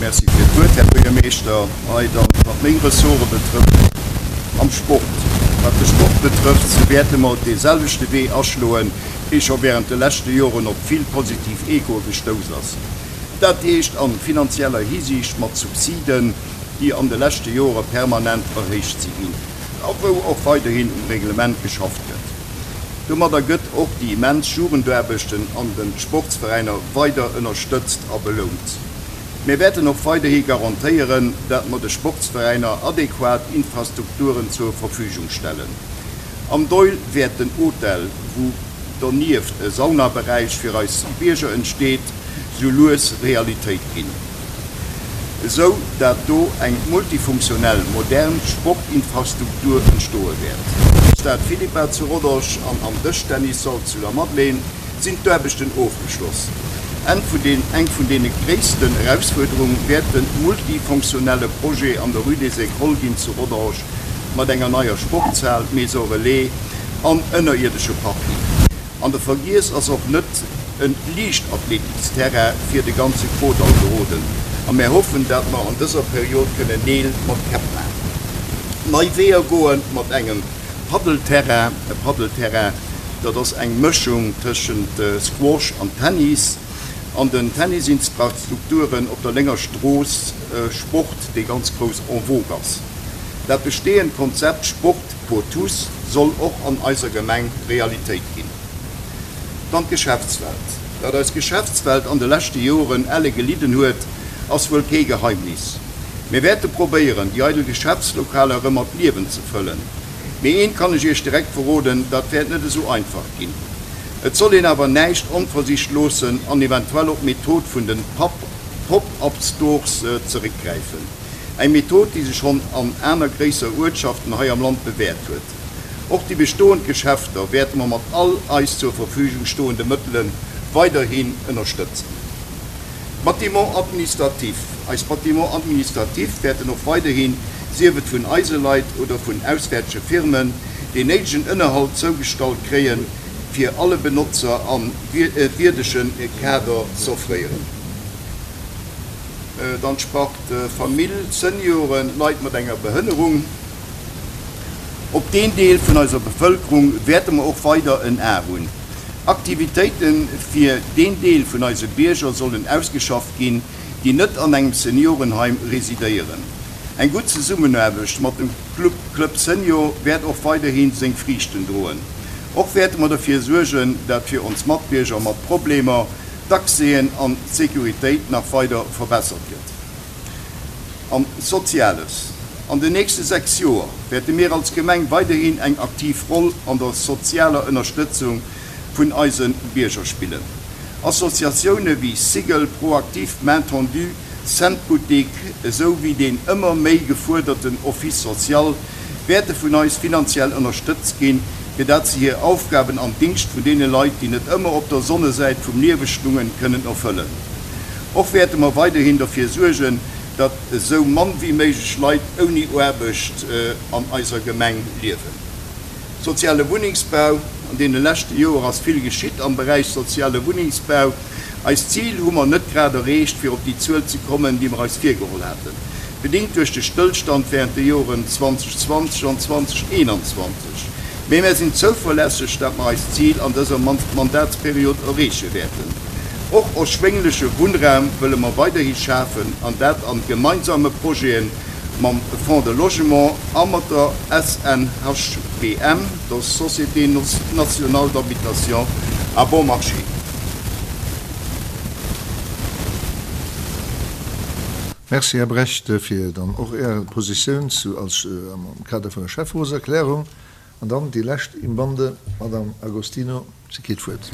Merci fir d'Wuert, Här Buergermeeschter. Hei dann, wat meng Ressorte betrëfft, am Sport. Wat de Sport betrëfft, sou wäerte mer dee selwechte Wee aschloen, dee scho während de leschte Joren op vill positiv Echoe gestouss ass. Dat heescht a finanzieller Hisiicht mat Subsiden, déi an de leschte Jore permanent erhéicht si ginn a wou och weiderhin um Reglement geschafft gëtt. Domadder gëtt och déi immens Jugendaarbechten an de Sportsveräiner weider ënnerstëtzt a belount. Mir wäerten och weiderhi garantéieren, dat mer de Sportsveräiner adequat Infrastrukturen zur Verfügung stellen. Am Doihl wäert den Hotel, wou donieft e Saunaberäich fir eis Bierger entsteet, sou lues Realitéit ginn, esou dat do eng multifunktionell modern Sportinfrastruktur entstoe wäert. Am Stade Philippa zu Rodange an am Dëschtennissall zu Lamadelaine sinn d'Aarbechten ofgeschloss. Eng vun deene gréissten Erausfuerderung wäert de multifonctionnelle Projet an der Rue des Écoles ginn zu Rodange mat enger neier Sportshal, Maison Relais an ënnerierdesche Parking. An de Vergiess ass och net e Liichtathletiksterrain fir de ganze Krodall geroden a mär hoffen, dat mer an dëser Period kënnen Neel mat Käpp maachen. Nei Weeër goen mat engem Paddelterrain. E Paddelterrain, dat ass eng Mëschung tëschent Squash an Tennis. An den Tennisinfrastrukturen op der Lénger Strooss, Sport, dee ganz grouss en vogue ass. Dat bestehend Konzept Sport pour tous soll och an eiser Gemeng Realitéit ginn. Dann d'Geschäftswelt. Dat eis Geschäftswelt an de leschte Joren elle gelidden huet, ass wuel kee Geheimnis. Mir wäerte probéieren, déi eidel Geschäftslokaler erëm mat Liewen ze fëllen. Mee eent kann ech Iech direkt verroden, dat wäert net esou einfach ginn. Et soll een awer näischt onversicht loossen an eventuell op d'Method vun de Pop-up-Stores zeréckgräifen. Eng Method, déi sech schonn an aner gréisser Uertschaften hei am Land bewäert huet. Och déi bestoend Geschäfter wäerte mer mat all eis zur Verfügung stoende Mëttele weiderhin ënnerstëtzen. Bâtiments administratifs, Eis Bâtiments administratifs wäerten och weiderhin, sief et vun eise Leit oder vun auswäertege Firmen, deen néidegen Ënnerhalt zougestallt kréien, fir alle Benotzer e wierdege Kader z'offréieren. Dann d'Spart Famill, Senioren, Leit mat enger Behënnerung. Op deen Deel vun eiser Bevëlkerung wäerte mer och weider en A hunn. Aktivitéite fir deen Deel vun eise Bierger sollen ausgeschafft ginn, déi net an engem Seniorenheim residéieren. Eng gutt Zesummenaarbecht mat dem Club Club Senior wäert och weiderhi seng Friichten droen. Och wäerte mer derfir suergen, dat fir ons Matbierger mat Problemer d'Accèsen an d'Sécuritéit nach weider verbessert gëtt. An Soziales, An den nächste 6 Joer wäerte mir als Gemeng weiderhin eng aktiv Roll an der sozialer Ënnerstëtzung vun eise Bierger spillen. Associatioune wéi Cigl, ProActif, Main Tendue, Cent Boutique esou wéi deen ëmmer méi gefuerderten Office social wäerte vun eis finanziell ënnerstëtzt ginn, fir dat se hir Aufgaben am Dingscht vun deene Leit, déi net ëmmer op der Sonnesäit vum Liewe stungen, kënnen erfëllen. Och wäerte mer weiderhin derfir suergen, datt esou mann wéi méiglech Leit ouni Aarbecht an eiser Gemeng liewen. Soziale Wunnengsbau, An deene leschte Joer ass vill geschitt am Beräich soziale Wunnengsbau. Eist Zil hu mer net grad erreecht, fir op déi Zuel ze kommen, déi mer eis virgeholl haten, bedingt duerch de Stëllstand während de Joren 2020 an 2021. Mee mär sinn zouverlässeg, dat mer eist Zil an dëser Mandatsperiod erreeche wäerten. Och erschwéngleche Wunnraum wëlle mer weiderhi schafen, an dat an gemeinsame Projete mam Fonds de Logement a mat der SNHBM, der Société Nationale d'Habitation à Bon Marché. Merci, Här Brecht, fir dann och Är Positioun zu als am Kader vun der Schäfferotserklärung. An dann déi lescht im Bande, d'Madame Agostino, si kritt d'Wuert.